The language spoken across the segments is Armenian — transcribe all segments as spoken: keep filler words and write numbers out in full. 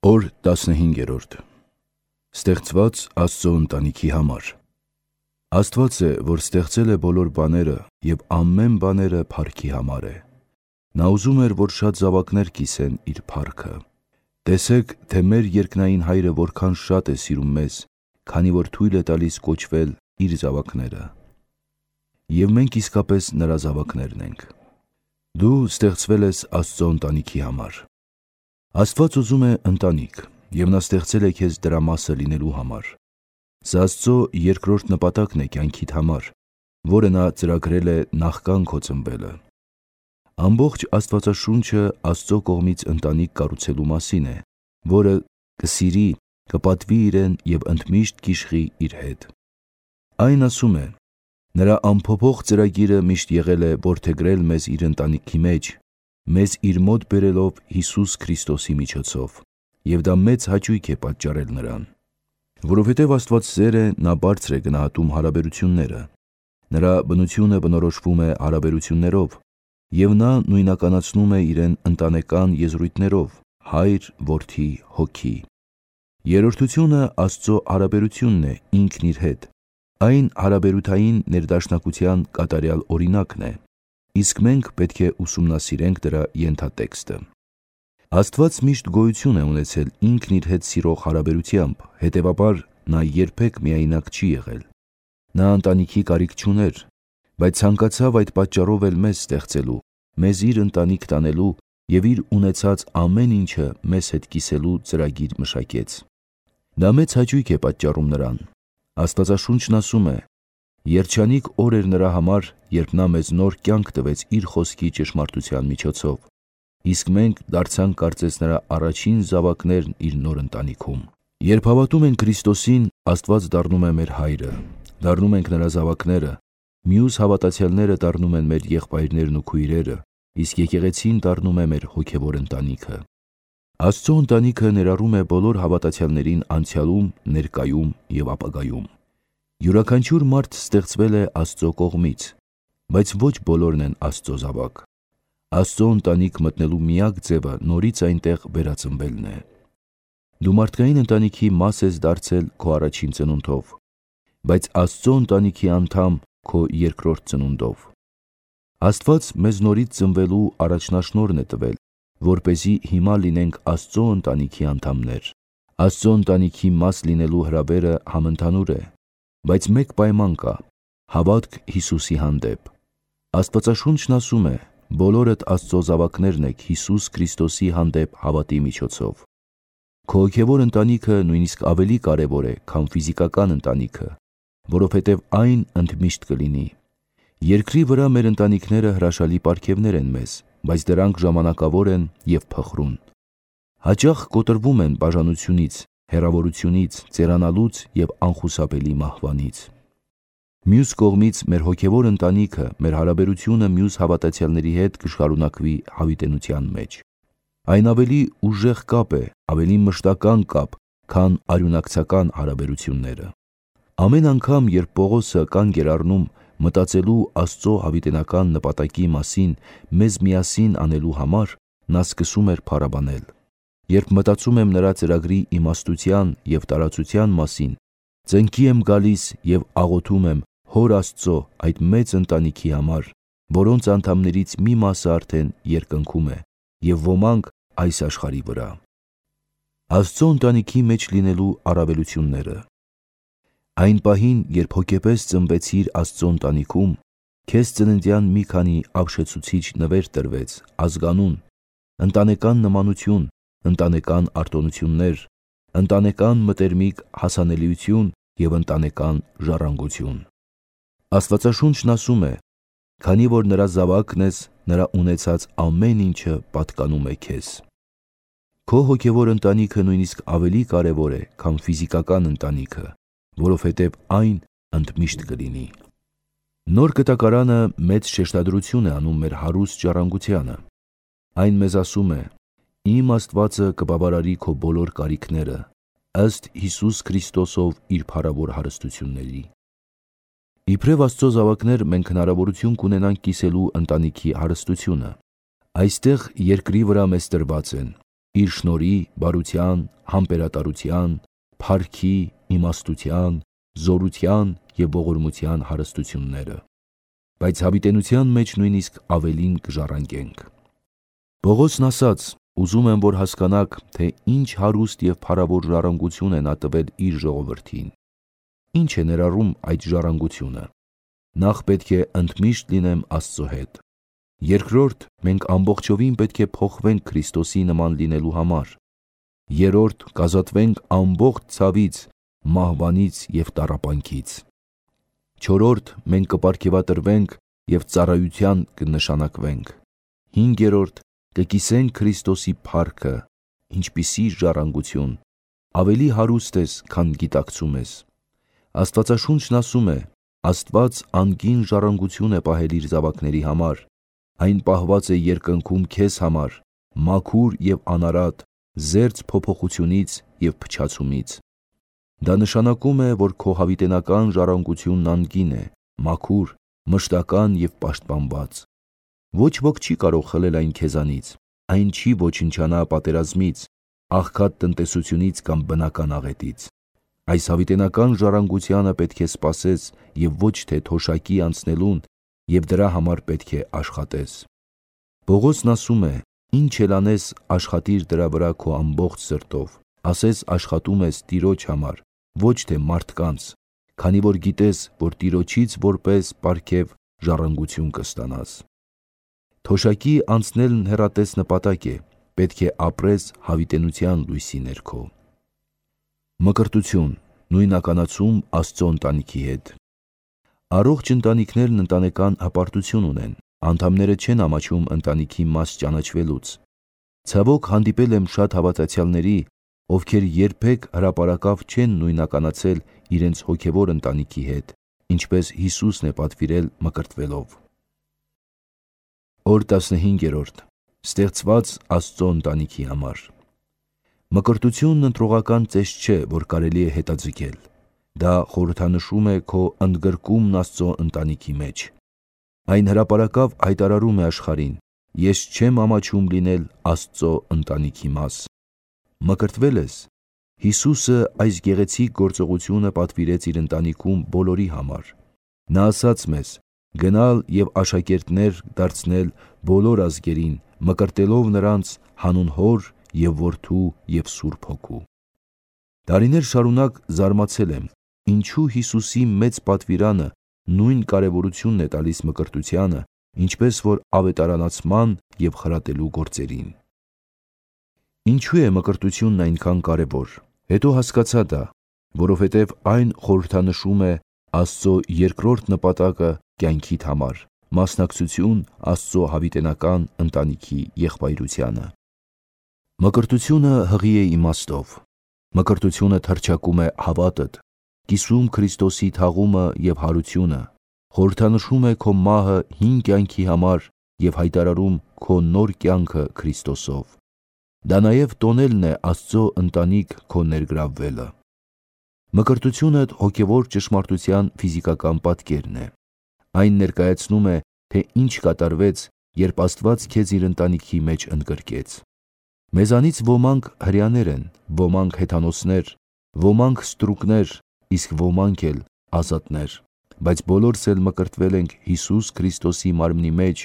Օր տասնհինգերորդ Ստեղծված Աստծո ընտանիքի համար։ Աստված է, որ ստեղծել է բոլոր բաները և ամեն բաները փառքի համար է։ Նա ուզում էր, որ շատ զավակներ կիսեն իր փառքը։ Տեսեք, թե մեր երկնային Հայրը որքան շատ է սիրում մեզ, քանի որ թույլ է տալիս կոչվել իր զավակները։ Եվ մենք իսկապես նրա զավակներն ենք։ Դու ստեղծվել ես Աստծո ընտանիքի համար։ Աստված ուզում է ընտանիք, և նա ստեղծել է քեզ դրա մասը լինելու համար։ Սա Աստծո երկրորդ նպատակն է կյանքիդ համար, որը նա ծրագրել է նախքան քո ծնվելը։ Ամբողջ Աստվածաշունչը Աստծո կողմից ընտանիք կառուցելու մասին է, որը կսիրի, կպատվի իրեն և ընդմիշտ կիշխի իր հետ։ Այն ասում է. նրա անփոփոխ ծրագիրը միշտ եղել է որդեգրել մեզ իր ընտանիքի մեջ, մեզ իր մոտ բերելով Հիսուս Քրիստոսի միջոցով, և դա մեծ հաճույք է պատճառել նրան։ Որովհետև Աստված սեր է, նա բարձր է գնահատում հարաբերությունները։ Նրա բնությունը բնորոշվում է հարաբերություններով, և նա նույնականացնում է իրեն ընտանեկան եզրույթներով՝ Հայր, Որդի, Հոգի։ Երրորդությունը Աստծո հարաբերությունն է ինքն իր հետ։ Այն հարաբերութային ներդաշնակության կատարյալ օրինակն է, իսկ մենք պետք է ուսումնասիրենք դրա ենթատեքստը։ Աստված միշտ գոյություն է ունեցել ինքն իր հետ սիրող հարաբերությամբ, հետևաբար նա երբեք միայնակ չի եղել։ Նա ընտանիքի կարիք չուներ, բայց ցանկացավ այդ պատճառով էլ մեզ ստեղծելու, մեզ իր ընտանիք տանելու և իր ունեցած ամեն ինչը մեզ հետ կիսելու ծրագիր մշակեց։ Դա մեծ հաճույք է պատճառում նրան։ Աստվածաշունչն ասում է. երջանիկ օր էր նրա համար, երբ նա մեզ նոր կյանք տվեց իր խոսքի ճշմարտության միջոցով, իսկ մենք դարձանք կարծես նրա առաջին զավակներն իր նոր ընտանիքում։ Երբ հավատում ենք Քրիստոսին, Աստված դառնում է մեր Հայրը, դառնում ենք նրա զավակները, մյուս հավատացյալները դառնում են մեր եղբայրներն ու քույրերը, իսկ եկեղեցին դառնում է մեր հոգևոր ընտանիքը։ Աստծո ընտանիքը ներառում է բոլոր հավատացյալներին անցյալում, ներկայում և ապագայում։ Յուրաքանչյուր մարդ ստեղծվել է Աստծո կողմից, բայց ոչ բոլորն են Աստծո զավակ։ Աստծո ընտանիք մտնելու միակ ձևը նորից այնտեղ վերածնվելն է։ Դու մարդկային ընտանիքի մաս ես դարձել քո առաջին ծնունդով, բայց Աստծո ընտանիքի անդամ քո երկրորդ ծնունդով։ Աստված մեզ նորից ծնվելու առաջնաշնորհն է տվել, որպեսզի հիմա լինենք Աստծո ընտանիքի անդամներ։ Աստծո ընտանիքի մաս լինելու հրավերը համընդհանուր է, բայց մեկ պայման կա՝ հավատք Հիսուսի հանդեպ։ Աստվածաշունչն ասում է. բոլորդ Աստծո զավակներն եք Հիսուս Քրիստոսի հանդեպ հավատի միջոցով։ Քո հոգևոր ընտանիքը նույնիսկ ավելի կարևոր է, քան ֆիզիկական ընտանիքը, որովհետև այն ընդմիշտ կլինի։ Երկրի վրա մեր ընտանիքները հրաշալի պարգևներ են մեզ, բայց դրանք ժամանակավոր են և փխրուն։ Հաճախ կոտրվում են բաժանությունից, հեռավորությունից, ծերանալուց և անխուսափելի մահվանից։ Մյուս կողմից մեր հոգևոր ընտանիքը, մեր հարաբերությունը մյուս հավատացյալների հետ կշարունակվի հավիտենության մեջ։ Այն ավելի ուժեղ կապ է, ավելի մշտական կապ, քան արյունակցական հարաբերությունները։ Ամեն անգամ, երբ Պողոսը կանգ էր առնում մտածելու Աստծո հավիտենական նպատակի մասին մեզ միասին անելու համար, նա սկսում էր փառաբանել։ Երբ մտածում եմ նրա ծրագրի իմաստության և տարածության մասին, ծնկի եմ գալիս և աղոթում եմ Հոր Աստծո այդ մեծ ընտանիքի համար, որոնց անդամներից մի մասը արդեն երկնքում է, և ոմանք այս աշխարհի վրա։ Աստծո ընտանիքի մեջ լինելու առավելությունները։ Այն պահին, երբ հոգեպես ծնվեցիր Աստծո ընտանիքում, քեզ ծննդյան մի քանի ապշեցուցիչ նվեր տրվեց, ազգանուն, ընտանեկան նմանություն, ընտանեկան արտոնություններ, ընտանեկան մտերմիկ հասանելիություն և ընտանեկան ժառանգություն։ Աստվածաշունչն ասում է. քանի որ նրա զավակն ես, նրա ունեցած ամեն ինչը պատկանում է քեզ։ Քո հոգևոր ընտանիքը նույնիսկ ավելի կարևոր է, քան ֆիզիկական ընտանիքը, որովհետև այն ընդմիշտ կլինի։ Նոր Կտակարանը մեծ շեշտադրություն է անում մեր հարուստ ժառանգությանը։ Այն մեզ ասում է. իմ Աստվածը կբավարարի քո բոլոր կարիքները, ըստ Հիսուս Քրիստոսով իր փառավոր հարստությունների։ Իբրև Աստծո զավակներ մենք հնարավորություն կունենանք կիսելու ընտանիքի հարստությունը։ Այստեղ երկրի վրա մեզ տրված են իր շնորհի, բարության, համբերատարության, փառքի, իմաստության, զորության և ողորմության հարստությունները, բայց հավիտենության մեջ նույնիսկ ավելին կժառանգենք։ Պողոսն ասաց. «Ուզում եմ, որ հասկանաք, թե ինչ հարուստ և փառավոր ժառանգություն է նա տվել իր ժողովրդին»։ Ինչ է ներառում այդ ժառանգությունը։ Նախ պետք է ընդմիշտ լինեմ Աստծո հետ։ Երկրորդ, մենք ամբողջովին պետք է փոխվենք Քրիստոսի նման լինելու համար։ Երրորդ, կազատվենք ամբողջ ցավից, մահվանից և տառապանքից։ Չորրորդ, մենք կպարգևատրվենք և ծառայության կնշանակվենք։ Հինգերորդ, կկիսենք Քրիստոսի փառքը, ինչպիսի ժառանգություն, ավելի հարուստ ես, քան գիտակցում ես։ Աստվածաշունչն ասում է. Աստված անգին ժառանգություն է պահել իր զավակների համար, այն պահված է երկնքում քեզ համար, մաքուր և անարատ, զերծ փոփոխությունից և փչացումից։ Դա նշանակում է, որ քո հավիտենական ժառանգությունն անգին է, մաքուր, մշտական և պաշտպանված։ Ոչ ոք չի կարող խլել այն քեզանից, այն չի ոչնչանա պատերազմից, աղքատ տնտեսությունից կամ բնական աղետից։ Այս հավիտենական ժառանգությանը պետք է սպասես և ոչ թե թոշակի անցնելուն, և դրա համար պետք է աշխատես։ Պողոսն ասում է. «Ինչ էլ անես, աշխատիր դրա վրա քո ամբողջ սրտով, ասես աշխատում ես Տիրոջ համար, ոչ թե մարդկանց, քանի որ գիտես, որ Տիրոջից որպես պարգև ժառանգություն կստանաս»։ Թոշակի անցնելն հեռատես նպատակ է, պետք է ապրես հավիտենության լույսի ներքո։ Մկրտություն, նույնականացում Աստծո ընտանիքի հետ։ Առողջ ընտանիքներն ընտանեկան հպարտություն ունեն, անդամները չեն ամաչում ընտանիքի մաս ճանաչվելուց։ Ցավոք հանդիպել եմ շատ հավատացյալների, ովքեր երբեք հրապարակավ չեն նույնականացել իրենց հոգևոր ընտանիքի հետ, ինչպես Հիսուսն է պատվիրել մկրտվելով։ Օր տասնհինգերորդ. Ստեղծված Աստծո ընտանիքի համար։ Մկրտությունն ընտրողական ծեստ չէ, որ կարելի է հետաձգել։ Դա խորհրդանշում է քո ընդգրկումն Աստծո ընտանիքի մեջ։ Այն հրապարակավ հայտարարում է աշխարհին. «Ես չեմ ամաչում լինել Աստծո ընտանիքի մաս»։ Մկրտվե՞լ ես։ Հիսուսը այս գեղեցիկ գործողությունը պատվիրեց իր ընտանիքում բոլորի համար։ Նա ասաց մեզ. «Գնալ և աշակերտներ դարձնել բոլոր ազգերին, մկրտելով նրանց հանուն Հոր և Որդու և Սուրբ Հոգու»։ Տարիներ շարունակ զարմացել եմ, ինչու Հիսուսի մեծ պատվիրանը նույն կարևորությունն է տալիս մկրտությանը, ինչպես որ ավետարանացման և խրատելու գործերին։ Ինչու է մկրտությունն այնքան կարևոր։ Հետո հասկացա դա, որովհետև այն խորհրդանշում է Աստծո երկրորդ նպատակը կյանքիդ համար՝ մասնակցություն Աստծո հավիտենական ընտանիքի եղբայրությանը։ Մկրտությունը հղի է իմաստով։ Մկրտությունը թռչակում է հավատդ, կիսում Քրիստոսի թաղումը և հարությունը, խորհրդանշում է քո մահը հին կյանքի համար և հայտարարում քո նոր կյանքը Քրիստոսով։ Դա նաև տոնելն է Աստծո ընտանիք քո ներգրավվելը։ Մկրտությունդ հոգևոր ճշմարտության ֆիզիկական պատկերն է։ Այն ներկայացնում է, թե ինչ կատարվեց, երբ Աստված քեզ իր ընտանիքի մեջ ընդգրկեց։ Մեզանից ոմանք հրեաներ են, ոմանք հեթանոսներ, ոմանք ստրուկներ, իսկ ոմանք էլ ազատներ, բայց բոլորս էլ մկրտվել ենք Հիսուս Քրիստոսի մարմնի մեջ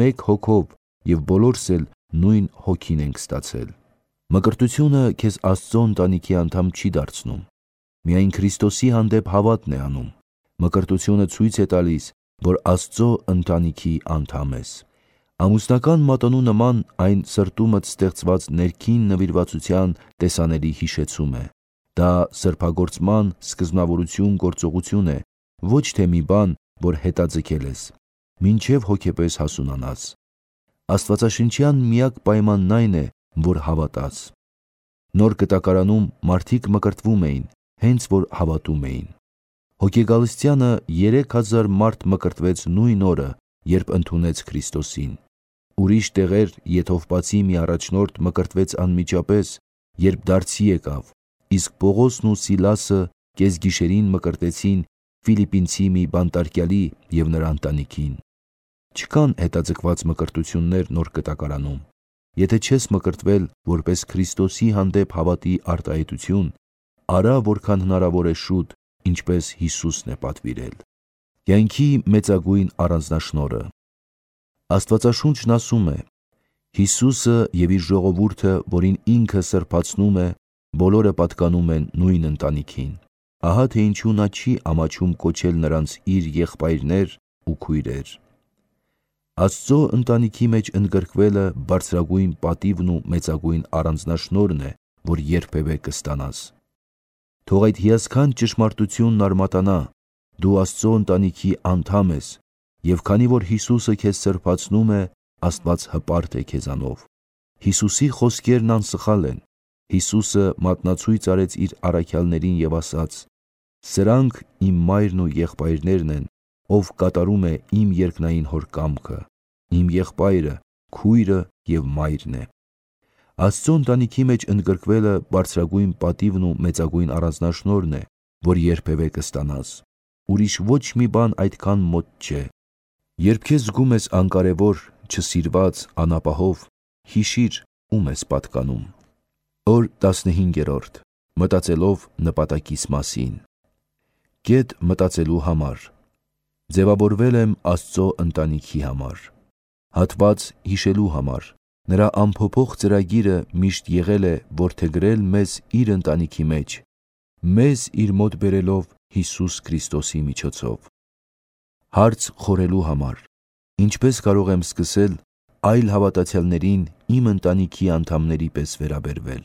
մեկ հոգով և բոլորս էլ նույն հոգին ենք ստացել։ Մկրտությունը քեզ Աստծո ընտանիքի անդամ չի դարձնում, միայն Քրիստոսի հանդեպ հավատն է անում։ Մկրտությունը ցույց է տալիս, որ Աստծո ընտանիքի անդամ ես։ Ամուսնական մատանու նման այն սրտումդ ստեղծված ներքին նվիրվածության տեսանելի հիշեցում է։ Դա սրբագործման սկզբնավորություն գործողություն է, ոչ թե մի բան, որ հետաձգել ես, մինչև հոգեպես հասունանաս։ Աստվածաշնչյան միակ պայմանն այն է, որ հավատաս։ Նոր Կտակարանում մարդիկ մկրտվում էին, հենց որ հավատում էին։ Հոգեգալստյանը երեք հազար մարդ մկրտվեց նույն օրը, երբ ընդունեց Քրիստոսին։ Ուրիշ տեղեր Եթովպացի մի առաջնորդ մկրտվեց անմիջապես, երբ դարձի եկավ, իսկ Պողոսն ու Սիլասը կեսգիշերին մկրտեցին Ֆիլիպպինցի մի բանտարկյալի և նրա ընտանիքին։ Չկան հետաձգված մկրտություններ Նոր Կտակարանում։ Եթե չես մկրտվել որպես Քրիստոսի հանդեպ հավատի արտահայտություն, արա որքան հնարավոր է շուտ, ինչպես Հիսուսն է պատվիրել։ Կյանքի մեծագույն առանձնաշնորհը։ Աստվածաշունչն ասում է. Հիսուսը և իր ժողովուրդը, որին ինքը սրբացնում է, բոլորը պատկանում են նույն ընտանիքին։ Ահա թե ինչու նա չի ամաչում կոչել նրանց իր եղբայրներ ու քույրեր։ Աստծո ընտանիքի մեջ ընդգրկվելը բարձրագույն պատիվն ու մեծագույն առանձնաշնորհն է, որ երբևէ կստանաս։ Թող այդ հիասքանչ ճշմարտությունն արմատանա, դու Աստծո ընտանիքի անդամ ես, և քանի որ Հիսուսը քեզ սրբացնում է, Աստված հպարտ է քեզանով։ Հիսուսի խոսքերն անսխալ են։ Հիսուսը մատնացույց արեց իր առաքյալներին և ասաց. «Սրանք իմ մայրն ու եղբայրներն են, ով կատարում է իմ երկնային Հոր կամքը։ Իմ եղբայրը, քույրը և մայրն է»։ Աստծո ընտանիքի մեջ ընդգրկվելը բարձրագույն պատիվն ու մեծագույն առանձնաշնորհն է, որ երբևէ կստանաս։ Ուրիշ ոչ մի բան այդքան մոտ չէ։ Երբ քեզ զգում ես անկարևոր, չսիրված, անապահով, հիշիր ում ես պատկանում։ Օր տասնհինգերորդ. Մտածելով նպատակիս մասին։ Կետ մտածելու համար։ Ձևավորվել եմ Աստծո ընտանիքի համար։ Հատված հիշելու համար։ Նրա անփոփոխ ծրագիրը միշտ եղել է որդեգրել մեզ իր ընտանիքի մեջ, մեզ իր մոտ բերելով Հիսուս Քրիստոսի միջոցով։ Հարց խորելու համար. ինչպես կարող եմ սկսել այլ հավատացյալներին իմ ընտանիքի անդամների պես վերաբերվել։